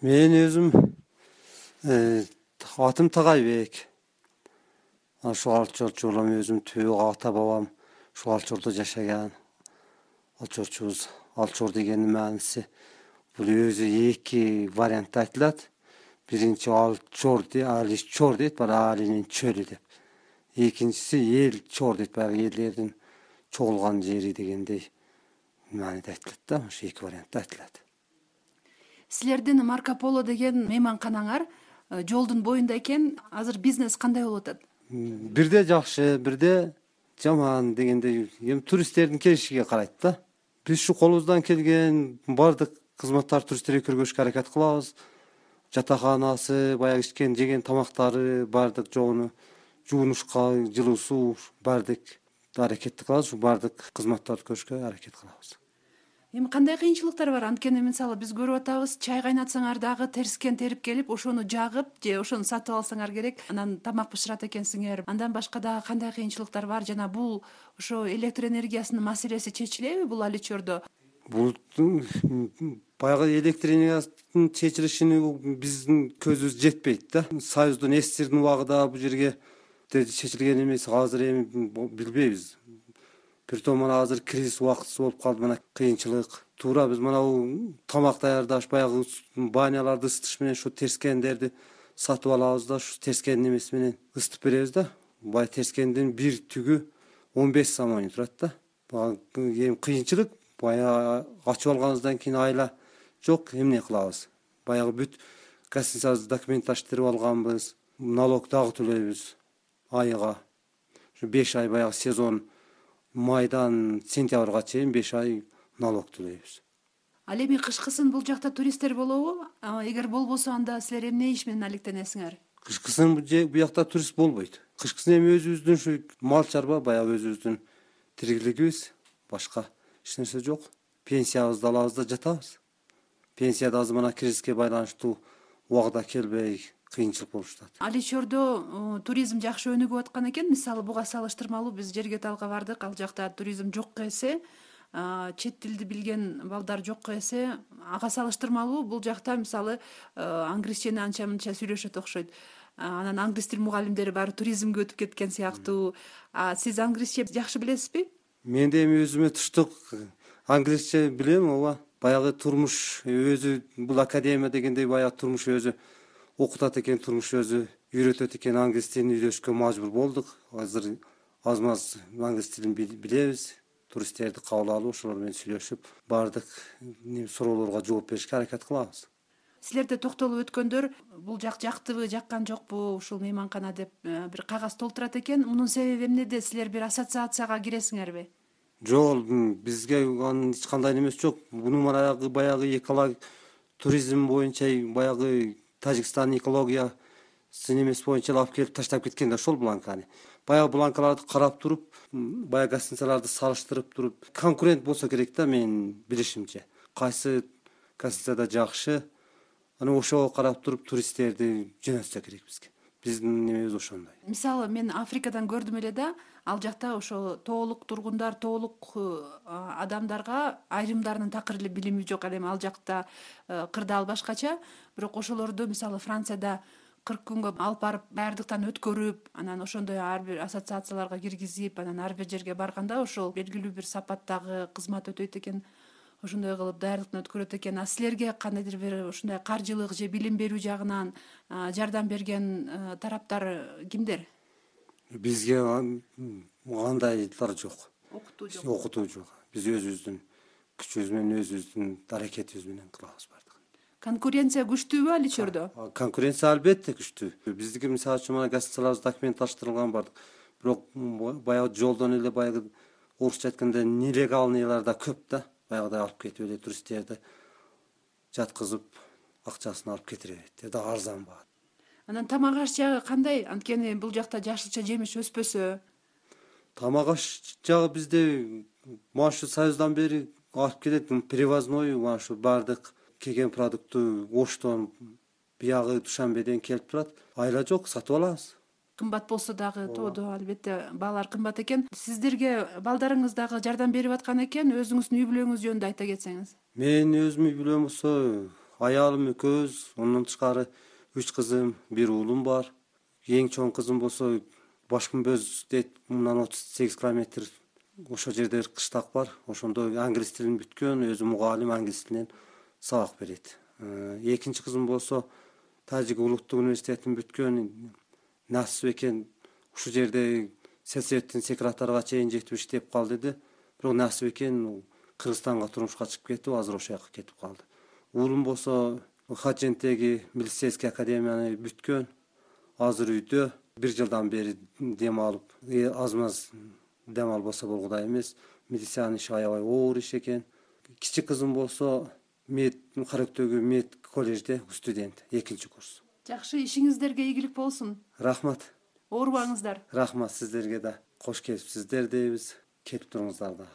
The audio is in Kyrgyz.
Мен өзүм атым Тагайбек. Ошол Алчорчу улам өзүм түбү ата бабам ушул Алчордо жашаган. Алчорчубуз. Алчор дегендин мааниси бул өзү эки вариантта айтылат. Биринчи Алчор Аличор дейт, Алинин чөлү деп. Экинчиси Эл Чор дейт, баягы элдердин чогулган жери дегендей мааниде айтылат да. Ошо эки вариантта айтылат. Силердин Марко Поло деген мейманканаңар жолдун боюнда экен. Азыр бизнес кандай болуп атат? Бирде жакшы, бирде жаман дегендей, эми туристтердин келишиге карайт да. Биз ушу колубуздан келген баардык кызматтарды туристтерге көргөзүшкө аракет кылабыз. Жатаканасы, баягы ичкен, жеген тамактары, баардык жогуну жуунушка, жылуу суу, баардык аракетти кылабыз. Ушу баардык кызматтарды көрүшкө аракет кылабыз. Эми кандай кыйынчылыктар бар? Анткени мисалы биз көрүп атабыз, чай кайнатсаңар дагы терскен терип келип, ошону жагып же ошону сатып алсаңар керек, анан тамак бышырат экенсиңер. Андан башка дагы кандай кыйынчылыктар бар? Жана бул ошо электр энергиясынын маселеси чечилеби бул Аличордо? Бул баягы электр энергиясынын чечилишине биздин көзүбүз жетпейт да. Союздун СССРдин убагында бул жерге чечилген эмес. Азыр эми билбейбиз. Притом мына азыр кризис убактысы болуп калды, мына кыйынчылык. Туура биз мына тамак даярдаш, баягы баняларды ысытыш менен ушу терскендерди сатып алабыз да, ушу терскендин эмеси менен ысытып беребиз да. Бай терскендин бир түгү 15 самони турат да. Эми кыйынчылык баягы ачып алганыбыздан кийин айла жок, эмне кылабыз? Баягы бүт гостиницабызды документаштырып алганбыз, налог дагы төлөйбүз айга. Ушу 5 ай баягы сезон майдан сентябрга чейин 5 ай налог төлөйбүз. Ал эми кышкысын бул жакта туристтер болобу? Эгер болбосо анда силер эмне иш менен алектенесиңер? Кышкысын бул жакта турист болбойт. Кышкысын эми өзүбүздүн ушу мал чарба, баягы өзүбүздүн тирикилигибиз, башка эч нерсе жок. Пенсиябызды алабыз да жатабыз. Пенсияда азыр мына кризиске байланыштуу убагда келбей кыйынчылык болуп жатат. Аличордо туризм жакшы өнүгүп аткан экен. Мисалы буга салыштырмалуу биз жерге талга бардык. Ал жакта туризм жокко эсе, чет тилди билген балдар жокко эсе, ага салыштырмалуу бул жакта мисалы англисчени анча мынча сүйлөшөт окшойт. Анан англис тил мугалимдери баары туризмге өтүп кеткен сыяктуу. Сиз англисче жакшы билесизби? Мен да эми өзүмө туштук англисче билем, ооба. Баягы турмуш өзү бул академия дегендей баягы турмуш өзү окутат экен, турмуш өзү үйрөтөт экен, англис тилин үйрөнүшкө мажбур болдук. Азыр аз-маз англис тилин билебиз. Туристтерди кабыл алып, ошолор менен сүйлөшүп, баардык суроолорго жооп беришке аракет кылабыз. Силерде токтолуп өткөндөр бул жак жактыбы, жаккан жокпу ушул мейманкана деп бир кагаз толтурат экен. Мунун себеби эмнеде? Силер бир ассоциацияга киресиңерби? Жок, бизге анын эч кандай немеси жок. Муну баягы экология туризм боюнча баягы Тажикстан экологиясы немеси боюнча алып келип таштап кеткен да ошол бланканы. Баягы бланкаларды карап туруп, баягы гостиницаларды салыштырып туруп, конкурент болсо керек да, менин билишимче. Кайсы гостиницада жакшы, аны ошого карап туруп туристтерди жөнөтсө керек бизге. Биздин немебиз ошондой. Мисалы мен Африкадан көрдүм эле да, ал жакта ошо тоолук тургундар, тоолук адамдарга айрымдарынын такыр эле билими жок. Ал жакта кырдаал башкача, бирок ошолорду мисалы Францияда 40 күнгө алып барып даярдыктан өткөрүп, анан ошондой ар бир ассоциацияларга киргизип, анан ар бир жерге барганда ошол белгилүү бир сапаттагы кызмат өтөйт экен. Ошондой кылып даярдыктан өткөрөт экен. Силерге кандайдыр бир ушундай каржылык же билим берүү жагынан жардам берген тараптар кимдер? Бизге андайлар жок. Окутуу жок. Окутуу жок. Биз өзүбүздүн күчүбүз менен, өзүбүздүн аракетибиз менен кылабыз бардыгын. Конкуренция күчтүүбү Аличордо? Конкуренция албетте күчтүү. Биздики мисалы үчүн мына гостиницаларыбыз документаштырылган бардык. Бирок баягы жолдон эле баягы орусча айтканда нелегалныйлар да көп да. Баягыдай алып кетип эле туристтерди жаткызып, акчасын алып кетире берет. Да арзан баат. Анан тамак аш жагы кандай? Анткени бул жакта жашылча жемиш өспөсө. Тамак аш жагы бизде мына ушу Союздан бери алып келет, привозной, мына ушу баардык келген продуктту Оштон, биягы Душанбеден келип турат. Айла жок, сатып алабыз. Кымбат болсо дагы тоодо албетте баалар кымбат экен. Сиздерге балдарыңыз дагы жардам берип аткан экен. Өзүңүздүн үй бүлөңүз жөнүндө айта кетсеңиз. Мен өзүм үй бүлөм болсо аялым экөөбүз, ондон тышкары 3 кызым, 1 уулум бар. Эң чоң кызым болсо Башкүмбөз дейт, мындан 38 километр ошол жерде бир кыштак бар. Ошондо англис тилин бүткөн, өзү мугалим, англис тилинен сабак берет. Экинчи кызым болсо Тажик улуттук университетин бүткөн, насип экен ушул жерде сельсоветтин секретарга чейин жетип иштеп калды деди. Бирок насип экен Кыргызстанга турмушка чыгып кетип, азыр ошол жака кетип калды. Уулум болсо Хажентеги милицейский академияны бүткөн, азыр үйдө 1 жылдан бери дем алып, аз маз дем албаса болгудай эмес. Милициянын иши аябай оор иш экен. Кичи кызым болсо мед Карөктөгү мед коллежде студент, 2-курс. Жакшы, ишиңиздерге ийгилик болсун. Рахмат. Оорубаңыздар. Рахмат сиздерге да. Кош келипсиздер дейбиз. Келип туруңуздар да.